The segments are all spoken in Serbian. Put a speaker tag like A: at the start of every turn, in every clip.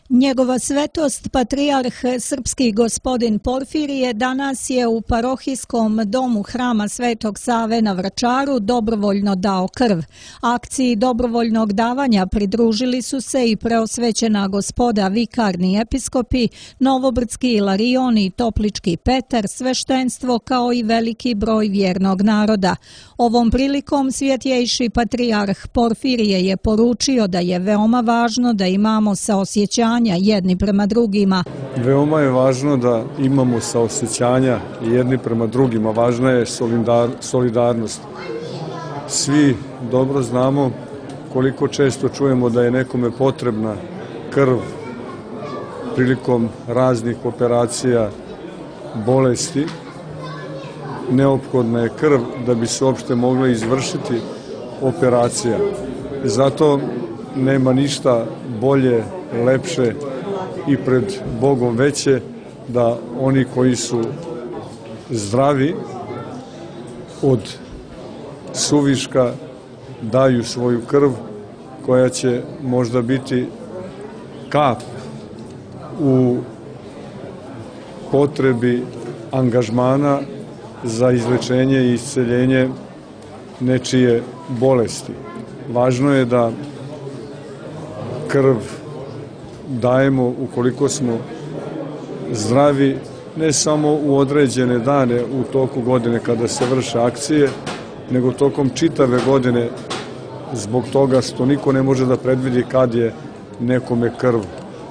A: Njegova svetost, patrijarh srpski gospodin Porfirije, danas je u parohijskom domu Hrama Svetog Save na Vračaru dobrovoljno dao krv. Akciji dobrovoljnog davanja pridružili su se i preosvećena gospoda vikarni episkopi, Novobrdski Ilarion i Toplički Petar, sveštenstvo kao i veliki broj vjernog naroda. Ovom prilikom svjetjejši patrijarh Porfirije je poručio da je veoma važno da imamo saosjećanje jedni prema drugima.
B: Veoma je važno da imamo saosjećanja jedni prema drugima, važna je solidarnost. Svi dobro znamo koliko često čujemo da je nekome potrebna krv prilikom raznih operacija, bolesti. Neophodna je krv da bi se uopšte mogla izvršiti operacija. Zato nema ništa bolje, lepše i pred Bogom veće da oni koji su zdravi od suviška daju svoju krv koja će možda biti kap u potrebi angažmana za izlečenje i isceljenje nečije bolesti. Važno je da krv dajemo ukoliko smo zdravi, ne samo u određene dane u toku godine kada se vrše akcije, nego tokom čitave godine, zbog toga što niko ne može da predvidi kad je nekome krv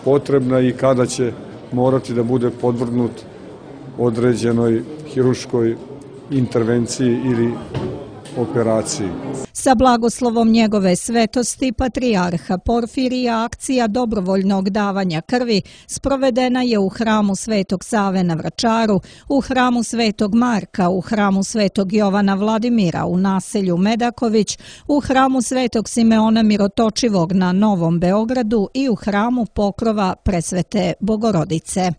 B: potrebna i kada će morati da bude podvrgnut određenoj hirurškoj intervenciji ili operaciji.
A: Sa blagoslovom njegove svetosti patrijarha Porfirija akcija dobrovoljnog davanja krvi sprovedena je u Hramu Svetog Save na Vračaru, u Hramu Svetog Marka, u Hramu Svetog Jovana Vladimira u naselju Medaković, u Hramu Svetog Simeona Mirotočivog na Novom Beogradu i u Hramu Pokrova Presvete Bogorodice.